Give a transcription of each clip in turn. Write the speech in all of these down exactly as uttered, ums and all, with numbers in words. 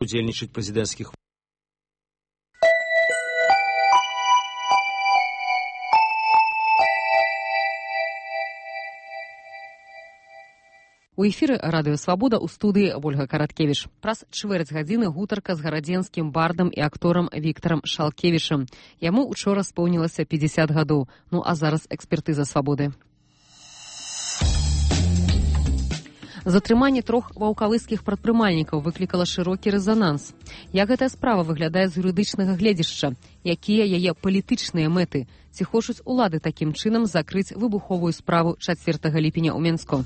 удзельнічаць прэзідэнцкіх. У эфіры радыё Свабода ў студыі Ольга Караткевіч. Праз чвэрць гадзіны гутарка з гарадзенскім бардам і акторам Віктарам Шалкевічам. Яму учора споўнілася пятьдесят гадоў. Ну а зараз экспертыза Свабоды. Затрыманне трох ваўкавыскіх прадпрымальнікаў выклікала шырокі рэзананс. Як гэтая справа выглядае з юрыдычнага гледзяшча? Якія яе палітычныя мэты? Ці хочуць улады такім чынам закрыць выбуховую справу чацвёртага ліпеня ў Менску?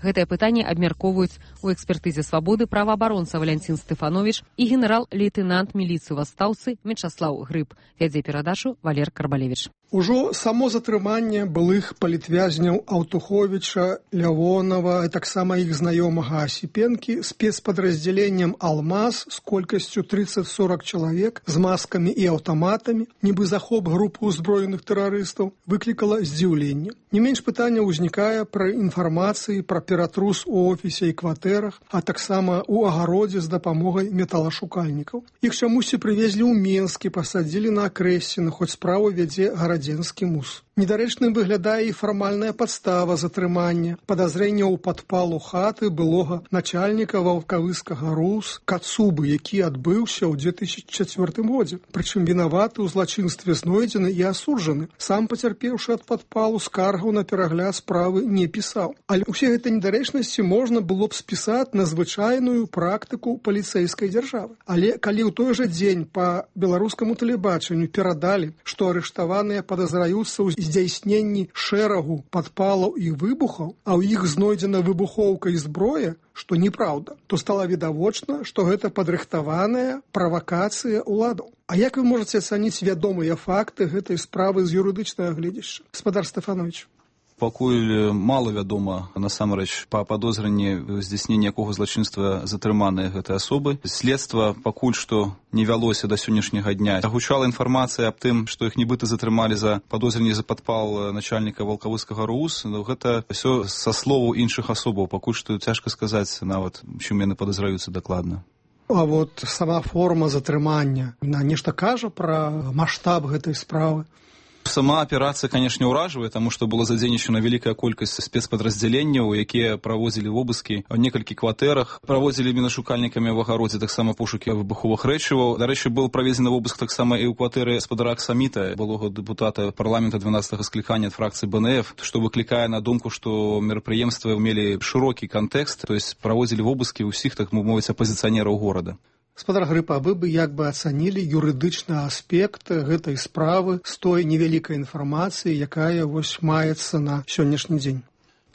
Гэтае пытанне абмяркоўваюць у экспертызе Свабоды праваабаронца Валянцін Стэфановіч і генерал-лейтэнант міліцыі вастаўцы Мячаслаў Грыб. Вядзе перадачу Валер Карбалевіч. Ужо само затрыманне былых палітвязняў Аўтуховіча, Лявонава, а таксама іх знаёмага Асіпенкі спецпадраздзяленнем «Алмаз» з колькасцю тридцать-сорок чалавек з маскамі і аўтаматамі, нібы захоп групы ўзброеных тэрарыстаў, выклікала здзіўленне. Не менш пытання ўзнікае пра інфармацыі пра ператрус у офісе і кватэрах, а таксама ў агародзе з дапамогай металашукальнікаў. Іх чамусьці прывезлі ў Менскі, пасадзілі на Акрэсціна, хоць справу вядзе гарадзенскі мус. Недарэчным выглядае і фармальная падстава затрымання, падазрэння ў падпалу хаты былога начальніка ваўкавыскага РУС Кацубы, які адбыўся ў две тысячи чацвёртым годзе. Прычым вінаваты ў злачынстве знойдзены і асуджаны. Сам пацярпеўшы ад падпалу скаргаў на перагляд справы не пісаў. Але ўсе гэтыя недарэчнасці можна было б спісаць на звычайную практыку паліцэйскай дзяржавы. Але калі ў той жа дзень па беларускаму тэлебачанню перадалі, што арыштаваныя падазраюцца ў здзяйсненні шэрагу падпалаў і выбухаў, а ў іх знойдзена выбухоўка і зброя, што неправда, то стала відавочна, што гэта падрыхтаваная правакацыя ўладаў. А як вы можаце ацаніць вядомыя факты гэтай справы з юрыдычнага гледзяшча? Гаспадар Стэфановіч. Пакуль мала вядома насамрэч па падозрэнні здзяйснення якога злачынства затрыманыя гэтай асобы. Следства пакуль што не вялося да сённяшняга дня. Агучала інфармацыя аб тым, што іх нібыта затрымалі за падозрэнне за падпал начальніка ваўкавыскага РУС. Но гэта ўсё са словаў іншых асобаў. Пакуль што цяжка сказаць нават, чым яны падазраюцца дакладна. А вот сама форма затрымання, на нешта кажа пра маштаб гэтай справы? Сама аперацыя, канешне, ўражвае, таму што была задзейнічана вялікая колькасць спецпадраздзяленняў, якія праводзілі вобыскі ў некалькі кватэрах, праводзілі мінашукальнікамі ў агародзе таксама пошукі выбуховых рэчываў. Дарэчы, быў праведзены вобыск таксама і ў кватэры спадара Аксаміта, былога дэпутата парламента дванаццатага склікання ад фракцыі БНФ, што выклікае на думку, што мерапрыемствы мелі шырокі кантэкст, то есть праводзілі вобыскі ўсіх, так мовіць, апазіцыянераў горада. Гаспадар Грыб, а вы бы як бы ацанілі юрыдычны аспект гэтай справы з той невялікай інфармацыі, якая вось маецца на сённяшні дзень?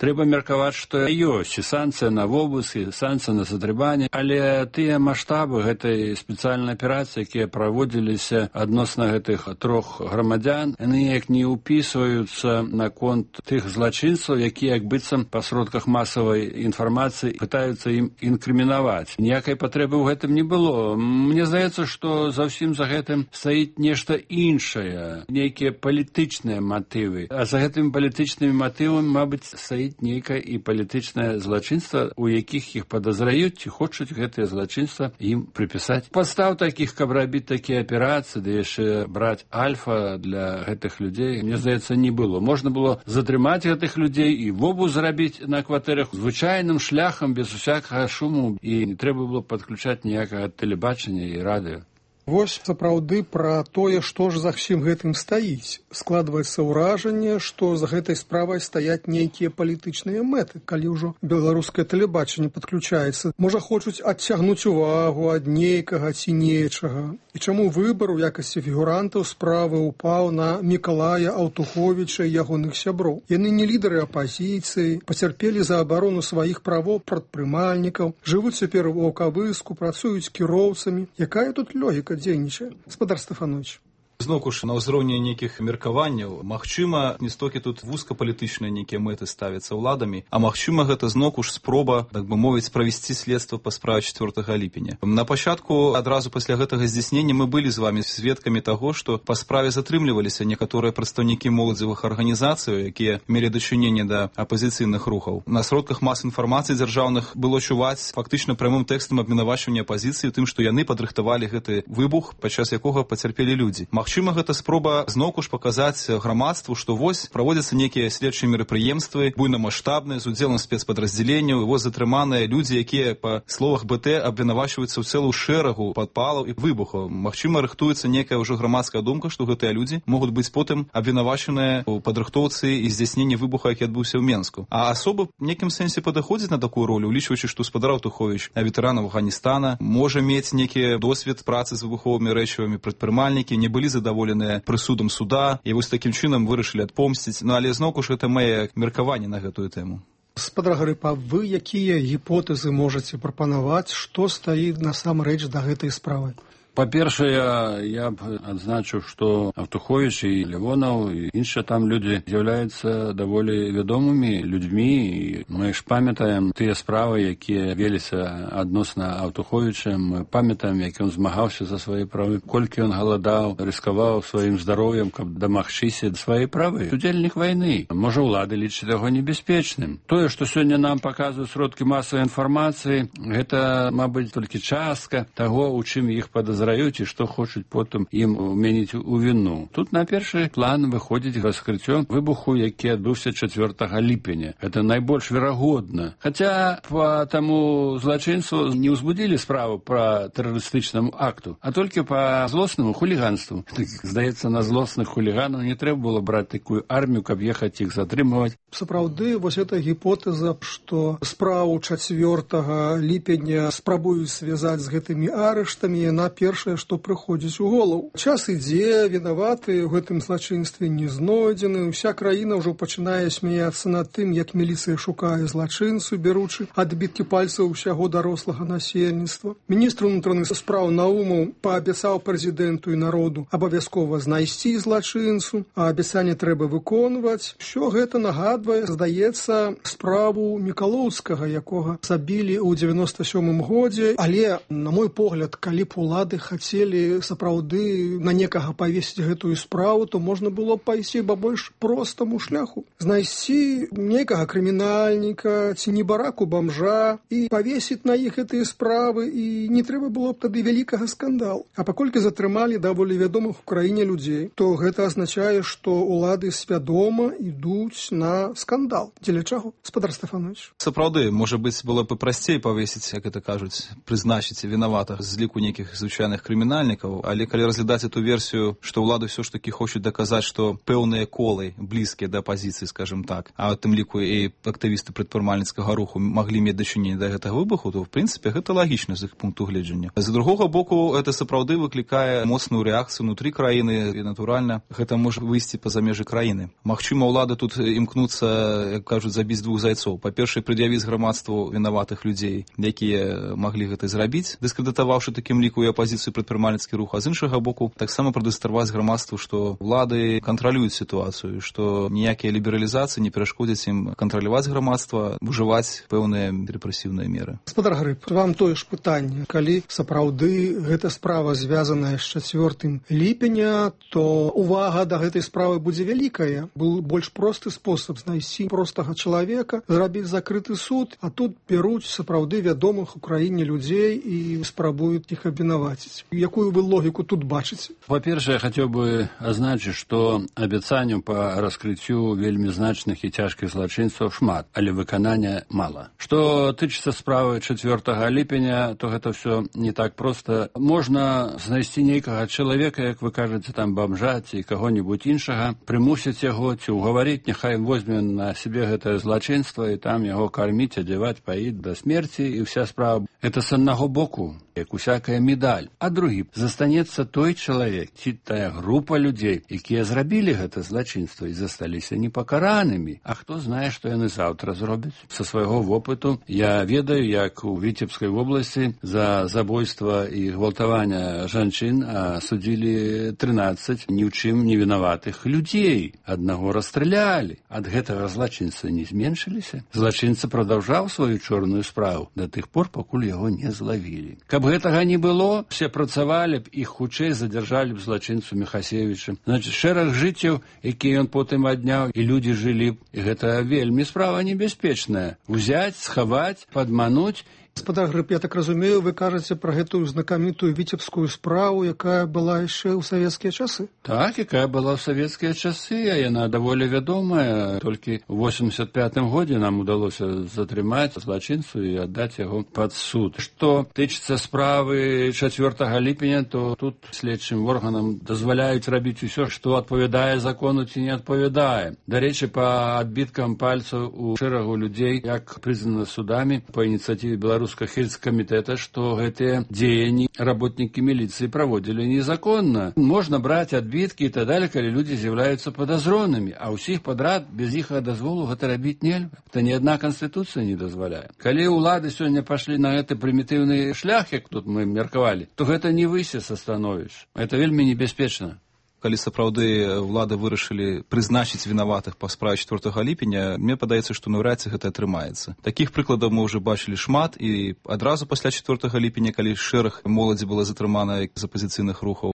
Трэба меркаваць, што ёсць і санкцыя на вобыск, і санкцыя на затрыманне, але тыя маштабы гэтай спецыяльнай аперацыі, якія праводзіліся адносна гэтых трох грамадзян, яны неяк не ўпісваюцца наконт тых злачынцаў, якія як быццам па сродках масавай інфармацыі пытаюцца ім інкрымінаваць. Ніякай патрэбы ў гэтым не было. Мне здаецца, што за ўсім за гэтым стаіць нешта іншае, нейкія палітычныя матывы. А за гэтымі палітычнымі матывамі, мабыць, стаіць нейкае і палітычнае злачынства, у якіх іх падазраюць ці хочуць гэтае злачынства ім прыпісаць. Падстаў такіх, каб рабіць такія аперацыі, ды яшчэ браць альфа для гэтых людзей, мне здаецца, не было. Можна было затрымаць гэтых людзей і вобыск зрабіць на кватэрах звычайным шляхам, без усякага шуму, і не трэба было падключаць ніякага тэлебачання і радыё. Вось сапраўды пра тое, што ж за ўсім гэтым стаіць. Складваецца ўражанне, што за гэтай справай стаяць нейкія палітычныя мэты, калі ўжо беларускае тэлебачанне падключаецца. Можа, хочуць адцягнуць увагу ад нейкага ці нечага. І чаму выбар у якасці фігурантаў справы ўпаў на Мікалая Аўтуховіча і ягоных сяброў. Яны не лідары апазіцыі, пацярпелі за абарону сваіх правоў прадпрымальнікаў, жывуць цяпер у ваўкавыску, працуюць кіроўцамі. Якая тут логіка дзейнічае? Гаспадар Стэфановіч. Зноўку ж на ўзроўні нейкіх меркаванняў, магчыма, не столькі тут вузкапалітычныя нейкія мэты ставяцца ўладамі, а магчыма, гэта зноўку ж спроба, так бы мовіць, правесці следства па справе чацвёртага ліпеня. На пачатку, адразу пасля гэтага здзяйснення, мы былі з вамі сведкамі таго, што па справе затрымліваліся некаторыя прадстаўнікі моладзевых арганізацый, якія мелі дачыненне да апазіцыйных рухаў. На сродках мас інфармацыі дзяржаўных было чуваць фактычна прямым тэкстам абвінавачвання апазіцыі тым, што яны падрыхтавалі гэты выбух, падчас якога пацярпелі людзі. Магчыма, гэта спроба зноўку ж паказаць грамадству, што вось праводзяцца нейкія следчыя мерапрыемствы, буйнамаштабныя, з удзелам спецпадраздзяленняў, і вось затрыманыя людзі, якія, па словах БТ, абвінавачваюцца ў цэлую шэрагу падпалаў і выбухаў. Магчыма, рыхтуецца нейкая ўжо грамадская думка, што гэтыя людзі могуць быць потым абвінавачаныя ў падрыхтоўцы і здзяйсненні выбуха, які адбыўся ў Менску. А асоба в нейкім сэнсе падыходзіць на такую ролю, улічваючы, што спадар Аўтуховіч, ветэран Афганістана, можа мець нейкі досвед працы з выбуховымі рэчывамі, прадпрымальнікі не былі задаволеныя прысудам суда і вось такім чынам вырашылі адпомсціць. Ну, але зноўку ж гэта мае меркаванне на гэтую тэму. Спадар Гарыпа, вы якія гіпотэзы можаце прапанаваць, што стаіць насамрэч да гэтай справы? Па-першае, я б адзначыў, што Аўтуховіч і Лявонаў і іншыя там людзі з'яўляюцца даволі вядомымі людзьмі, і мы ж памятаем тыя справы, якія веліся адносна Аўтуховіча, мы памятаем, як ён змагаўся за свае правы, колькі ён галадаў, рыскаваў сваім здароўем, каб дамагчыся свае правы. Удзельнік вайны. Можа, улады лічаць яго небяспечным. Тое, што сёння нам паказваюць сродкі масавай інфармацыі, гэта, мабыць, толькі частка таго, у чым іх падазраюць і што хочуць потым ім уменіць у віну. Тут на першы план выходзіць раскрыццё выбуху, які адбыўся чацвёртага ліпеня. Гэта найбольш верагодна. Хаця па таму злачынцу не ўзбудзілі справу пра тэрарыстычнаму акту, а толькі па злоснаму хуліганству. Здаецца, на злосных хуліганаў не трэба было браць такую армію, каб ехаць іх затрымаваць. Сапраўды, вось эта гіпотэза, што справу чацвёртага ліпеня спрабуюць звязаць з гэтымі арыштамі, яна першае, што прыходзіць у голову. Час ідзе, вінаваты ў гэтым злачынстве не знойдзены, уся краіна ўжо пачынае смяяцца над тым, як міліцыя шукае злачынцу, беручы адбіткі пальцаў усяго дарослага насельніцтва. Міністр унутраных спраў Наумаў паабяцаў прэзідэнту і народу абавязкова знайсці злачынцу, а абяцанне трэба выконваць. Усё гэта нагадвае, здаецца, справу Мікалоўскага, якога забілі ў дзевяноста сёмым годзе, але, на мой погляд, калі б улады хацелі сапраўды на некага павесіць гэтую справу, то можна было б пайсці па больш простаму шляху. Знайсці некага крымінальніка ці небараку бамжа і павесіць на іх гэтыя справы, і не трэба было б тады вялікага скандалу. А паколькі затрымалі даволі вядомых у краіне людзей, то гэта азначае, што улады свядома ідуць на скандал. Дзеля чаго? Спадар Стэфанович. Сапраўды, можа быць, было б прасцей павесіць, як это кажуць, прызначыць вінаватых з ліку нейкіх звычайных крымінальнікаў, але калі разглядаць эту версію, што ўлады ўсё ж такі хочуць даказаць, што пэўныя колы блізкія да апазіцыі, скажем так, а ў тым ліку і актывісты прадпрымальніцкага руху маглі мець дачыненне да гэтага выбуху, то в прынцыпе гэта лагічна з іх пункту гледжання. З другога боку, гэта сапраўды выклікае моцную рэакцыю ўнутры краіны, і натуральна гэта можа выйсці па-за межы краіны. Магчыма, улады тут імкнуцца, як кажуць, забіць двух зайцоў. Па-першае, прад'явіць грамадству вінаватых людзей, якія маглі гэта зрабіць, дыскрэдытаваўшы такім ліку і апазіцыю прадпрымальніцкі рух, а з іншага боку таксама прадэманстраваць грамадству, што ўлады кантралююць сітуацыю, што ніякія лібералізацыі не перашкодзяць ім кантраляваць грамадства, ужываць пэўныя рэпрэсіўныя меры. Спадар Гарып, вам тое ж пытанне. Калі сапраўды гэта справа звязаная з чацвёртым ліпеня, то увага да гэтай справы будзе вялікая. Был больш просты спосаб знайсці простага чалавека, зрабіць закрыты суд, а тут бяруць сапраўды вядомых у краіне людзей і спрабуюць іх абвінаваціць. Якую вы логіку тут бачыце? Па-першае, я хацеў бы азначыць, што абяцанняў па раскрыццю вельмі значных і цяжкіх злачынцаў шмат, але выканання мала. Што тычыцца справы чацвёртага ліпеня, то гэта ўсё не так проста. Можна знайсці нейкага чалавека, як вы кажаце, там бамжа ці каго-небудзь іншага, прымусіць яго ці ўгаварыць, няхай возьме на сябе гэтае злачынства і там яго карміць, адзяваць, паіць да смерці, і вся справа. Гэта з аднаго боку, як усякая медаль. а другі застанецца той чалавек ці тая група людзей, якія зрабілі гэта злачынства і засталіся непакаранымі. А хто знае, што яны заўтра зробяць? Са свайго вопыту я ведаю, як у Віцебскай вобласці за забойства і гвалтавання жанчын судзілі трынаццаць ні ў чым не вінаватых людзей. Аднаго расстралялі. Ад гэтага злачынства не зменшыліся. Злачынца прадаўжаў сваю чорную справу да тых пор, пакуль яго не злавілі. Каб гэтага не было, все працавалі б і хутчэй задзяржалі б злачынцу Міхасевіча. Значыць, шэраг жыццяў, якія ён потым адняў, і людзі жылі б. І гэта вельмі справа небяспечная. Узяць, схаваць, падмануць. Гаспадар Грыб, я так разумею, вы кажаце пра гэтую знакамітую віцебскую справу, якая была яшчэ ў савецкія часы? Так, якая была ў савецкія часы, а яна даволі вядомая. Толькі ў восемьдесят пятым годзе нам удалося затрымаць злачынцу і аддаць яго пад суд. Што тычыцца справы чацвёртага ліпеня, то тут следчым органам дазваляюць рабіць усё, што адпавядае закону ці не адпавядае. Дарэчы, па адбіткам пальцаў у шэрагу людзей, як прызнана судамі па ініцыятыве Беларускага Хельскамітэта, што гэтыя дзеянні работнікі міліцыі праводзілі незаконна. Можна браць адбіткі і так далее, калі людзі з'яўляюцца падазронымі, а ўсіх падрад без іх дазволу гэта рабіць нельга. Гэта ні адна канстытуцыя не дазваляе. Калі ўлады сёння пашлі на гэты прымітыўны шлях, як тут мы меркавалі, то гэта не высес становішча. Гэта вельмі небяспечна. Калі сапраўды ўлады вырашылі прызначыць вінаватых па справе чацвёртага ліпеня, мне падаецца, што наўрад ці гэта атрымаецца. Такіх прыкладаў мы ўжо бачылі шмат, і адразу пасля чацвёртага ліпеня, калі шэраг моладзі была затрымана з апазіцыйных рухаў,